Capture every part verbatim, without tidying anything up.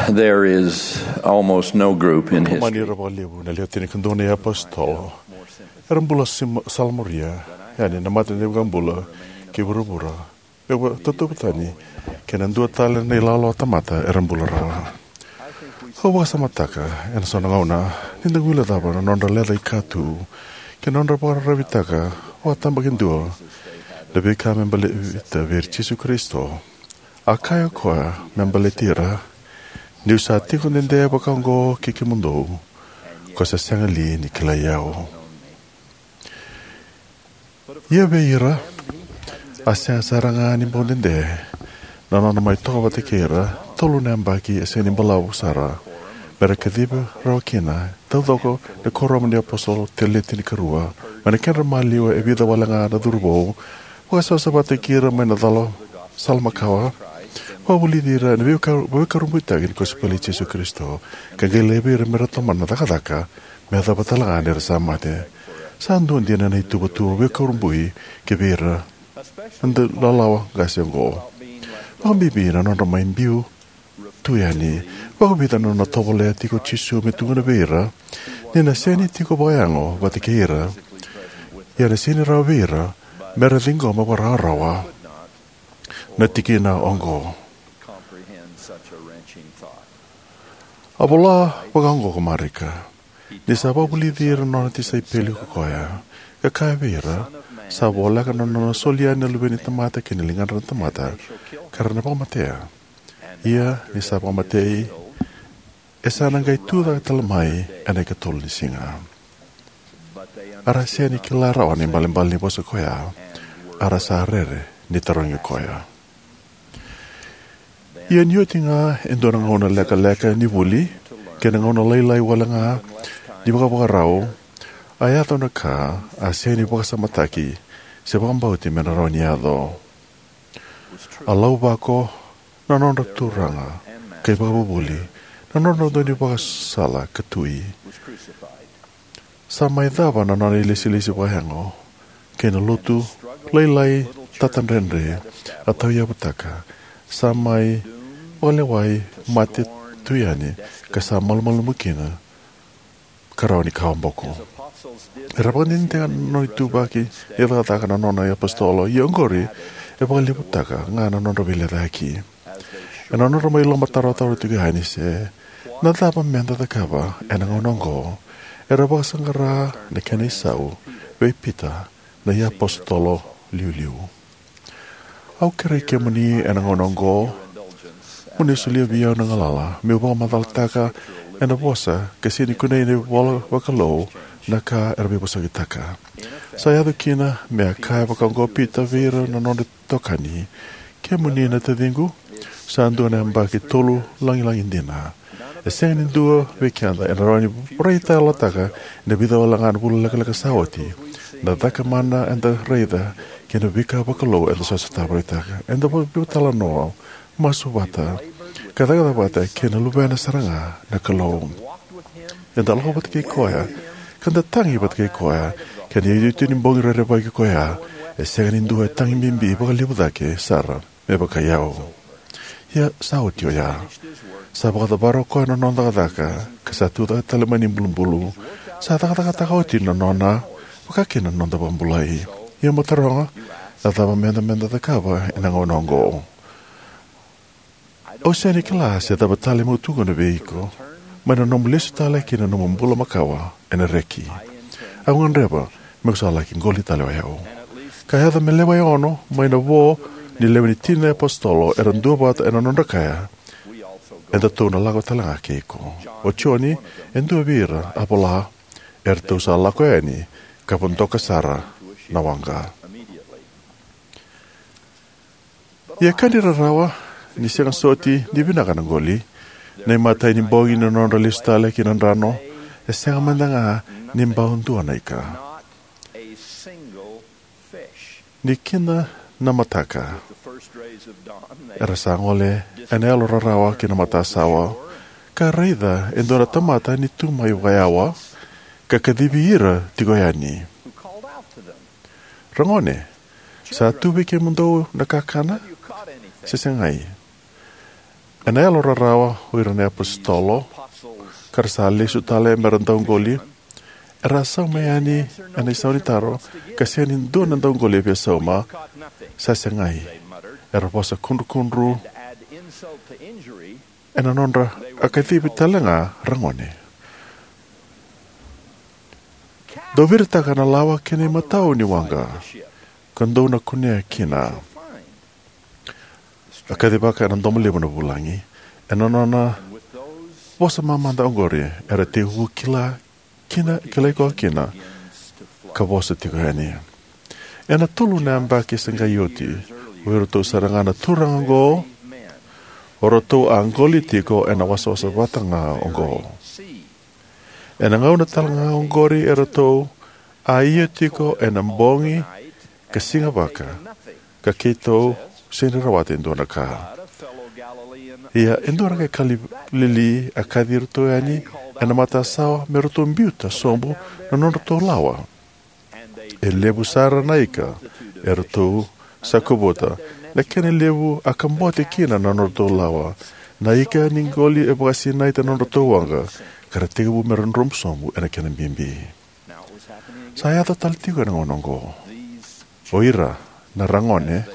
There is almost no group in history. Mani ira vakalevu na lewe tinikadua na iapositolo era bula sima- salamuria yani na mata ni vakabula kei vuravura. E vakatauvatani kei na dua tale na ilawalawa tamata era bula rawa. Au vakasamataka ena so na gauna ni da guilecava na nodra leca i katu kei na nodra vakararavitaka vakatabakidua na veika me baleta vei ira Jisu Karisito. A kaya o koya me baleti ira, "Niu sa tiko dede vakaoqo kei kemudou, ko sa sega li ni kilai au?" Ia vei ira a sega sara ga ni bau dede na nona mai toka vata kei ira tolu na yabaki e sega ni balavu sara me ra kacivi rawa kina taucoko na kuoramu ni apositolo le tinikarua, mai na kedra maliwa e vica wale ga na cauravou, vakasavasavataki ira mai na cala sala makawa, vakavulici ira ena veika- veivakurabuitaki ni kosipeli i Jisu Karisito, ka qai laivi ira me ra tomana na cakacaka me yacova tale ga ni ra sa mate. Sa dua dina na ituvatuva veikurabui kivei ira na dau lalawa qase oqo. Vakabibi na nodra mai biu tu yani, vakavica na nona tovolea tiko o Jisu me tukuna vei ira ni na sega ni tiko vakayago vata kei ira, ia na sega ni rawa vei ira me ra ciqoma vakarawarawa na tikina oqo. A vola vakaoqo ko Marika ni sa vakavulici ira na nona tisaipeli ko koya, ka kaya vei ira, "Sa voleka na nona soli yani na Luve ni tamata ki na ligadra na tamata, ka ra na vakamatea. Ia ni sa vakamatei, e sa na qai tucake tale mai ena ikatolu ni siga." A ra sega ni kila rawa na ibalebale ni vosa koya, a ra sa rere ni tarogi koya. Ia ni oti ga e dua na gauna lekaleka ni vuli kei na gauna lailai wale ga ni vakavakarau, a yaco na ka a sega ni vakasamataki se vakabauti me na rawa ni yaco. A lauvako na nodra turaga kei vakavuvuli, na nodra dau ni vakasala ka tui. Sa mai cava na nona ilesilesi vakayago kei na lotu lailai tatadredre a tauyavutaka. Sa mai vakalewai mate tu yani ka sa malumalumu kina ka rawa ni kawa boko. Era vakadinadinataka na nona ituvaki ni cakacaka na nona iapositolo, ia oqori e vakalevutaka ga na nodra veilecayaki. Ena nodra mai lomatarotarotaka tiko yani se na cava meda cakava ena gauna oqo, era vakasaqara na kena isau vei Pita na iapositolo liuliu. Au kerei kemuni ena gauna oqo mo ni solia vei au na galala meu vakamacalataka ena vosa ka sega ni kunei ena ivola vakalou na ka era veivosakitaka. Sa yaco kina me a kaya vakaoqo o Pita vei ira na nodra itokani, "Kemuni na taciqu, sa dua na yabaki tolu lagilagi dina. E sega ni dua vei keda ena rawa ni vakaraitayalotaka ena vica wale ga na vula lekaleka sa oti na cakamana eda raica kei na veika vakalou eda sa sotava, raitaka, eda veitalanoa, masu vata, ka cakacaka vata kei na Luvena sara ga na Kalou. Eda lako vata kei koya, ka da tagi vata kei koya, kei na iotioti ni bogi rerevaki koya. E sega ni dua e tagi bibi vakalevu cake sara me vakai au." Ia sa oti oya. Sa vakacavara o koya na nona cakacaka, ka sa tucake tale mai na ibulubulu. Sa cakacakataka oti na nona, vakakina na noda vakabulai. Ia mo taroga, na cava meda, meda cakava ena gauna oqo? Au sega ni kila se cava tale meu tukuna vei iko mai na nomu lesu tale ki na nomu bula makawa ena reki. Au gadreva meu sa laki qoli tale o yau. Ka yaco me lewe ono mai na vo ni lewe ni tini na iapositolo era duavata ena nodra kaya, "Edatou na lako tale ga kei iko." O Joni e dua vei ira a vola, "Eratou sa lako yani ka vodoka sara na waqa." Ia ka ni rarawa ni sega soti ni vinaka na qoli. Na imatai ni bogi ni nodra lesu tale ki na drano, e sega mada ga ni bau dua na ika. Ni kida na mataka, era sa gole ena yalo rarawa ki na matasawa, ka raica e dua na tamata ni tu mai vakayawa ka kacivi ira tiko yani, "Ragone, sa tu vei kemudou na kakana se segai?" Ena yalo rarawa, o ira na iapositolo, ka ra sa lesu tale me ra dauqoli, era a sauma yani ena isau ni taro, ka sega ni dua na dauqoli e via sauma. Sa segai, era vosa kudrukudru ena nodra a kacivi tale ga ragone. Dou viritaka na lawa kei na imatau ni waqa, ka dou na kunea kina. A kacivaka ena domo levu na vulagi. Ena nona vosa mamada oqori, era tekivu kila kina, kilai koya kina, ka vosa tiko yani. Ena tolu na yabaki se qai oti, o iratou sara ga na turaga oqo, o ratou a qoli tiko ena wasawasa vata ga oqo. Ena gauna tale ga oqori eratou a ia tiko ena bogi ka siga vaka, ka keitou sega ni rawata e dua na ka. Ia e dua na qai Kalili a kaci iratou yani ena matasawa me ratou biuta sobu na nodratou lawa. E levu sara na ika eratou sa kovuta, na kena levu a kabote kina na nodratou lawa. Na ika ni qoli e vakasinaita na nodratou waqa, ka ra tekivu me ra dromu sobu ena kena bibi. Sa yaco tale tiko ena gauna oqo. O ira na ragone,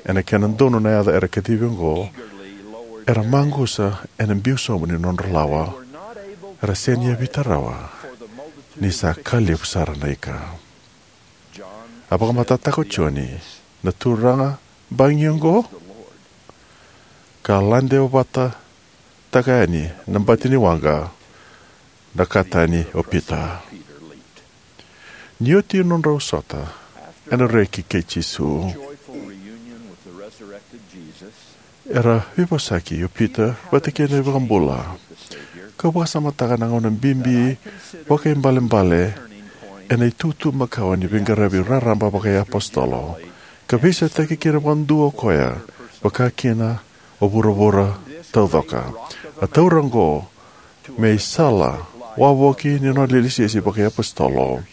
ena kena donu na yaca era kacivi oqo, era maqusa ena biu sobu ni nodra lawa. Era sega ni yavita rawa, ni sa ka levu sara na ika. A vakamatatataka o Joni, na turaga bagi oqo, ka lade vata taka yani na bati ni waqa, na ka tani o Pita. Ni oti nodrau sota ena reki kei Jisu, era veivosaki o Pita vata kei na iVakabula. Kau vakasamataka na gauna bibi vakaibalebale ena itutu makawa ni veiqaravi raraba vakaiapositolo, ka veisautaki kina vakadua o koya, vaka kina o vuravura taucoko. A taura oqo me isala wavoki ni nona ilesilesi vakaiapositolo,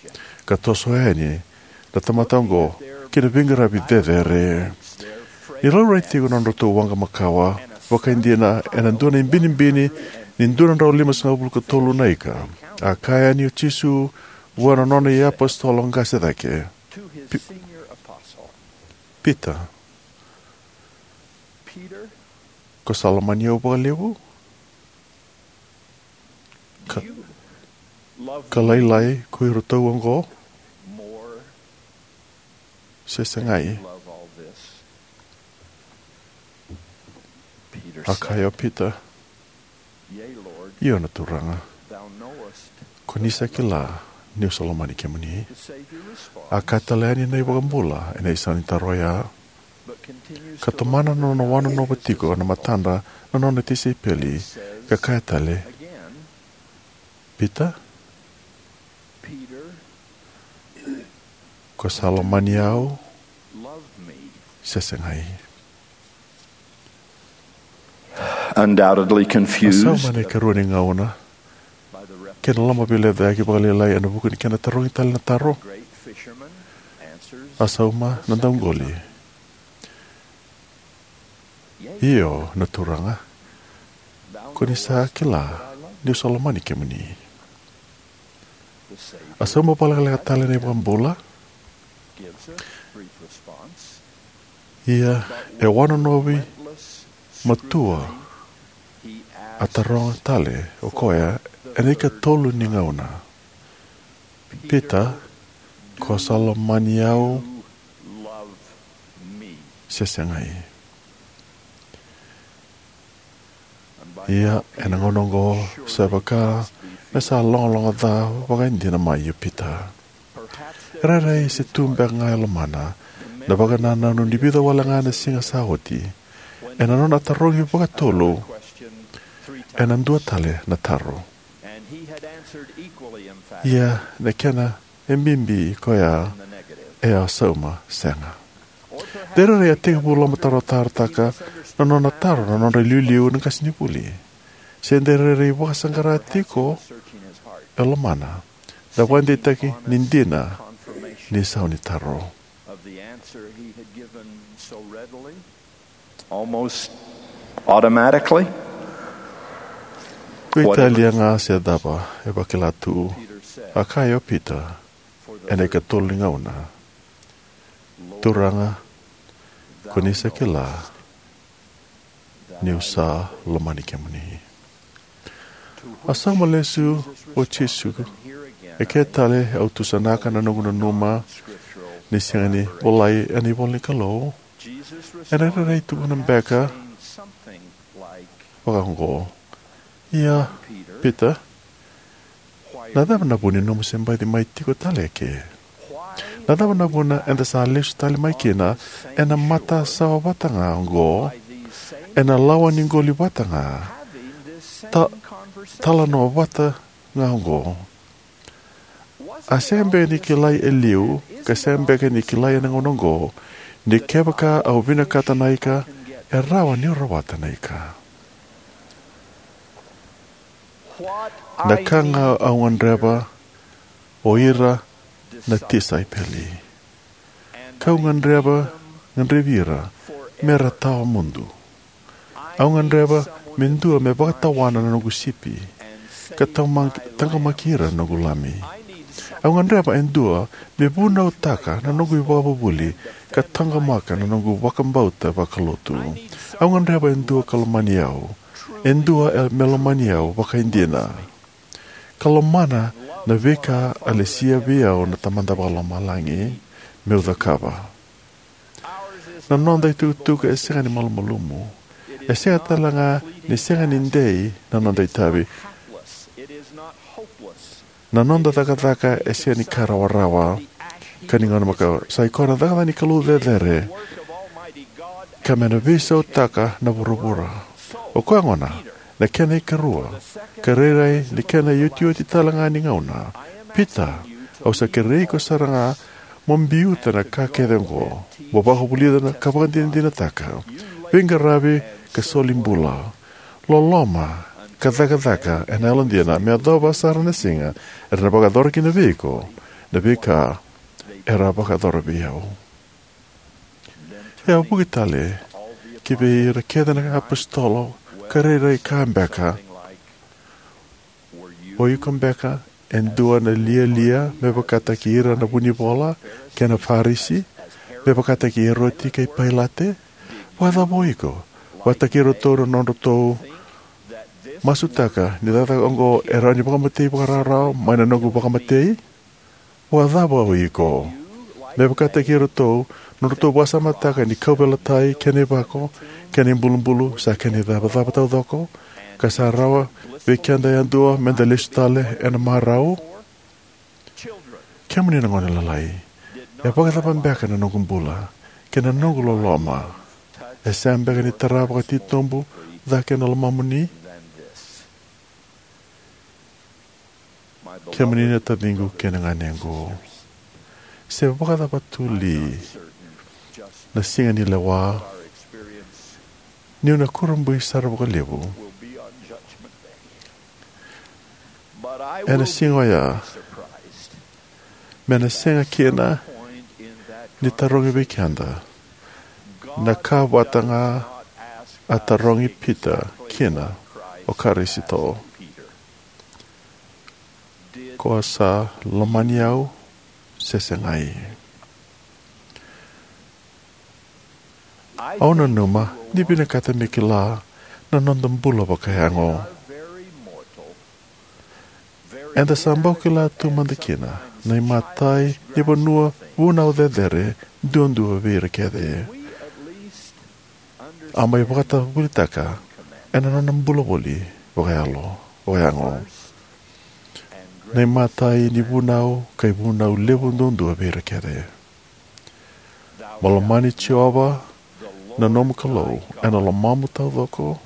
ka toso yani na tamata oqo ki na veiqaravi cecere. Ni laurai tiko na nodratou waqa makawa, vakaidina ena dua na ibinibini ni dua na drau limasagavulu ka tolu na ika, a kaya yani o Jisu vua na nona iapositolo qase cake, Pi-, Pita, ko sa lomani au vakalevu? Ka, ka lailai ko iratou oqo, se segai? A kaya o Pita, io na Turaga, ko ni sa kila niu sa lomani kemuni. A kaya tale yani na iVakabula ena isau ni taro oya, ka tomana na nona wanonova tiko na matadra na nona tisaipeli, ka kaya tale, Pita, ko sa lomani au se segai? Undoubtedly confused. A sauma ena ikarua ni gauna, kei na lomaveilecayaki vakalailai ena vuku ni kena tarogi tale na taro. A sauma na dauqoli, io na Turaga, ko ni sa kila niu sa lomani kemuni. A sauma vakalekaleka tale na iVakabula. Ia e wanonovi matua, a taroga tale o koya ena ikatolu ni gauna, Pita, ko sa lomani au se segai? Ia ena gauna oqo sa vaka me sa logaloga ca vakaidina mai o Pita. E rairai se tu beka ga e lomana na vakanananu ni vica wale ga na siga sa oti, ena nona tarogi vakatolu ena dua tale na taro. Ia na kena e bibi koya e a sauma sega. De rairai a tekivu lomatarotarotaka na nona taro na nodra iliuliu na qasenivuli. Se de rairai vakasaqara tiko e lomana na vakadeitaki ni dina ni sau ni taro. Almost Automatically? Veitalia ga se cava e vakila tu, a kaya o Pita ena ikatolu ni gauna, "Turaga, ko ni sa kila niu sa lomani kemuni." A sauma lesu o Jisu. E ke tale au tusanaka na noqu nanuma ni sega ni volai ena ivola ni Kalou. Ena rairai tukuna beka vakaoqo: "Ia, Pita, na cava na vu ni nomu se baci mai tiko tale eke? Na cava na vuna eda sa lesu tale mai kina ena matasawa vata ga oqo, ena lawa ni qoli vata ga, ta, talanoa vata ga oqo? A sega beka ni kilai e liu, ka sega beka ni kilai ena gauna oqo, ni kevaka au vinakata na ika, e rawa niu rawata na ika?" Na ka ga au gadreva o ira na tisaipeli, kau gadreva, gadrevi ira me ra tawa mudu. Au gadreva me dua me vakatawana na noqu sipi, ka tama-, taqomaki ira na noqu lami. Au gadreva e dua me vunautaka na noqu ivakavuvuli, ka taqomaka na noqu vakabauta vakalotu. Au gadreva e dua ka lomani au, e dua e me lomani au vakaidina, ka lomana na veika a lesia vei au na Tamada Vakalomalagi meu cakava. Na noda itukutuku e sega ni malumalumu. E sega tale ga ni sega ni dei na noda itavi. Na noda cakacaka e sega ni ka rawarawa. Ka ni gauna makawa, sa i koya na cakacaka ni Kalou cecere, ka me na veisautaka na vuravura. O koya gona, na kena ikarua, ka rairai ni kena iotioti tale ga ni gauna: "Pita, au sa kerei iko sara ga mo biuta na ka kece oqo, mo vakavulica na ka vakadinadinataka, veiqaravi ka soli bula, loloma ka cakacaka ena yalodina, me yacova sara na siga era na vakayacora kina vei iko na veika era a vakayacora vei au." E a vuki tale ki vei ira kece na iapositolo, ka rairai kaya beka: "O iko beka e dua na lialia me vakataki ira na vunivola kei na Farisi, me vakataki Eroti kei Pailate? Vakacava o iko, vakataki iratou na nodratou masutaka ni cakacaka oqo e rawa ni vakamatei vakarawarawa mai na noqu vakamatei? Vakacava o iko, me vakataki iratou, nodratou vakasamataka ni kauveilatai kei na ivako kei na ibulubulu sa kena icavacava taucoko, ka sa rawa vei keda yadua meda lesu tale ena marau?" Kemuni na gone lalai, e vakacava beka na noqu bula kei na noqu loloma e sega beka ni tara vakatitobu cake na lomamuni? Kemuni na taciqu kei na ganequ, se vakacava tu li na siga ni lewa, niu na kurabui sara vakalevu ena siga oya, me na sega kina ni tarogi vei keda na ka vata ga a tarogi Pita kina o Karisito: "Ko sa lomani au se segai?" Au nanuma ni vinakata me kila na noda bula vakayago. Eda sa bau kila tu mada kina na imatai ni vanua vunau cecere duadua vei ira kece. A mai vakatavulitaka ena nona bula voli vakayalo, vakayago, na imatai ni vunau ka ivunau levu duadua vei ira kece. Mo lomani Jiova na nomu Kalou ena lomamu taucoko,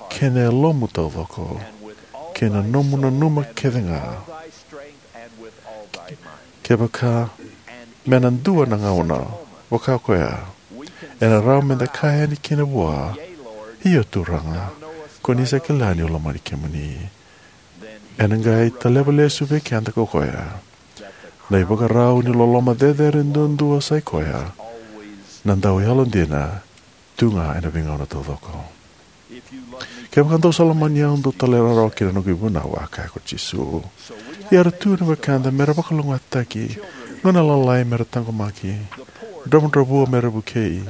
kei na yalomu taucoko, kei na nomu nanuma kece ga. Kevaka me na dua na gauna vaka koya, ena rawa meda kaya yani kina vua: "Io Turaga, ko ni sa kila niu lomani kemuni." Ena qai taleva lesu vei keda ko koya na ivakarau ni loloma cecere duadua, sai koya na dau yalodina tu ga ena veigauna taucoko. Kevaka dou sa lomani au, dou talairawarawa ki na noqu ivunau, a kaya ko Jisu. Ia era tu na wekada me ra vakalougatataki, gauna lalai me ra taqomaki, dravudravua me ra vukei,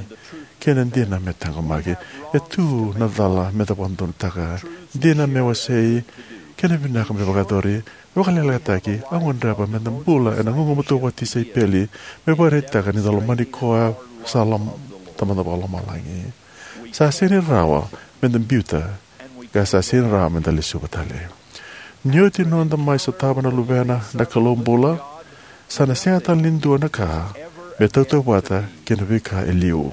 kei na dina me taqomaki. E tu na cala me da vakadodonutaka, dina me wasei, kei na vinaka me vakayacori. Vakalekalekataki, au gadreva me da bula ena gugumatua vakatisaipeli, me vakaraitaka ni da lomani koya sa lom-, Tamada Vakalomalagi. Sa sega ni rawa me da biuta, ka sa sega ni rawa me da lesuva tale. Ni oti noda mai sotava na Luvena na Kalou bula, sa na sega tale ni dua na ka me tautauvata kei na veika e liu.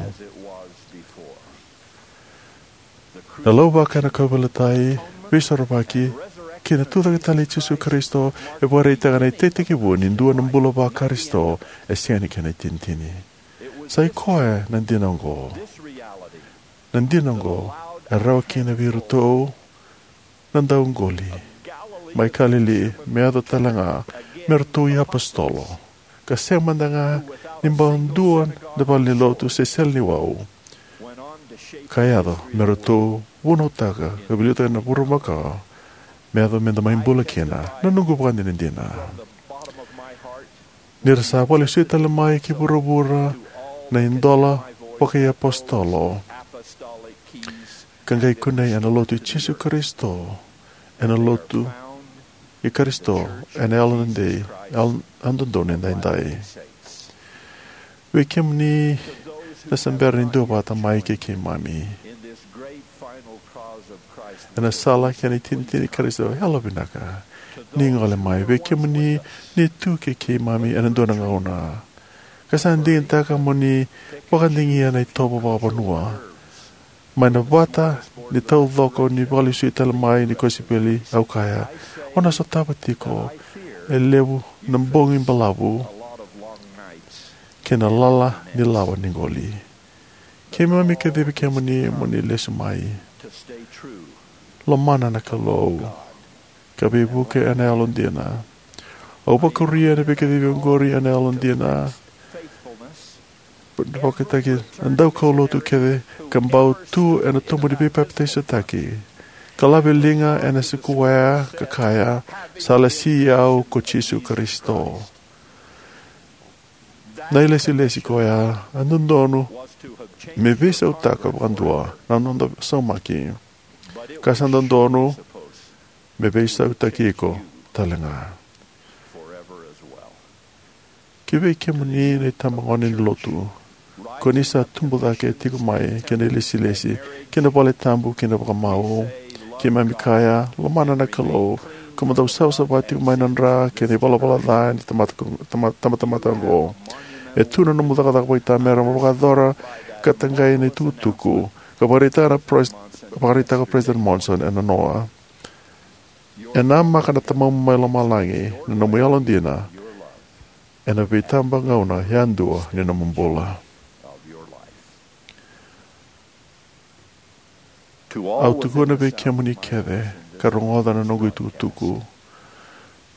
Na lauvako ena kauveilatai, veisorovaki, kei na tucake tale i Jisu Karisito e vakaraitaka na itekitekivu ni dua na bula vaKarisito e sega ni kena itinitini. Sa i koya na dina oqo. Na dina oqo e rawa kina vei iratou na dauqoli mai Kalili me yaco tale ga me ratou iapositolo, ka sega mada ga ni bau dua na valenilotu se sele ni wau, ka yaco me ratou vunautaka ka veiliutaka na vurumaka me yaco me da mai bula kina. Na noqu vakadinadina ni ra sa vakalesui tale mai ki vuravura na idola vakaiapositolo ka qai kunei ena lotu i Jisu Karisito, ena lotu i Karisito, ena yalododonu, yalododonu edaidai. Vei kemuni na se bera ni duavata mai kei keimami ena sala kei na itinitini i Karisito, yalovinaka ni gole mai. Vei kemuni ni tu kei keimami ena dua na gauna ka sa digitaka mo ni vakadigia na itovo vakavanua mai na vata ni taucoko ni vakalesui tale mai ni kosipeli, au kaya, o na sotava tiko e levu na bogi balavu kei na lala ni lawa ni qoli. Keimami kacivi kemuni mo ni lesu mai. Lomana na Kalou ka veivuke ena yalodina. Au vakuria na veikacivi oqori ena yalodina. Vakataki na daukaulotu kece ka bau tu ena tobu ni veipapitaisotaki, ka laveliga ena sikuwea ka kaya, sa lesi au ko Jisu Karisito. Na ilesilesi koya e dodonu me veisautaka vakadua na noda saumaki, ka sa dodonu me veisautaki iko talega. Ki vei kemuni na itabagone ni lotu, ko ni sa tubu cake tiko mai kei na ilesilesi, kei na valetabu, kei na vakamau, keimami kaya, lomana na Kalou, ko mo dau savasava tiko mai na dra kei na ivalavala ca ni tamata, tama-, tamatamata oqo. E tu na nomu cakacaka vakaitamera mo vakayacora ka taqai na itukutuku ka vakaraitaka na pres-, vakaraitaka o President Monson ena noa. E namaka na Tamamu mai Lomalagi na nomu yalodina ena veitabagauna yadua ni nomu bula. Au tukuna vei kemuni kece ka rogoca na noqu itukutuku,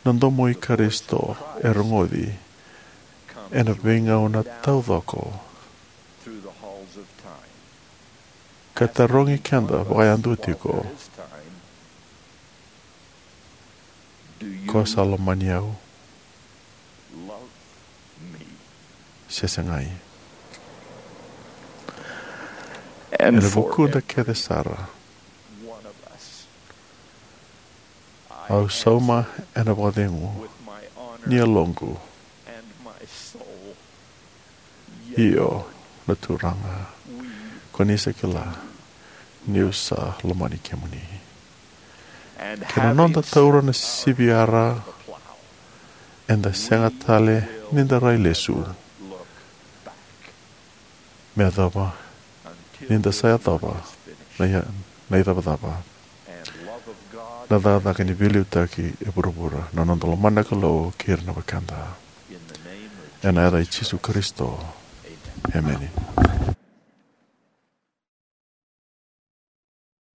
na domo i Karisito e rogoci ena veigauna taucoko ka tarogi keda vakayadua tiko, ko sa lomani au se segai? Ena vukuda kece sara, au sauma ena vakacegu ni yaloqu, io, na Turaga, ko ni sa kila niu sa lomani kemuni. Kei na noda taura na siviyara, eda sega tale ni da rai lesu me yacova ni da sa yacova na, na icavacava, na cakacaka ni veiliutaki e vuravura. Na noda lomana na Kalou kei ira na wekada. Ena yaca i Jisu Karisito. Emeni.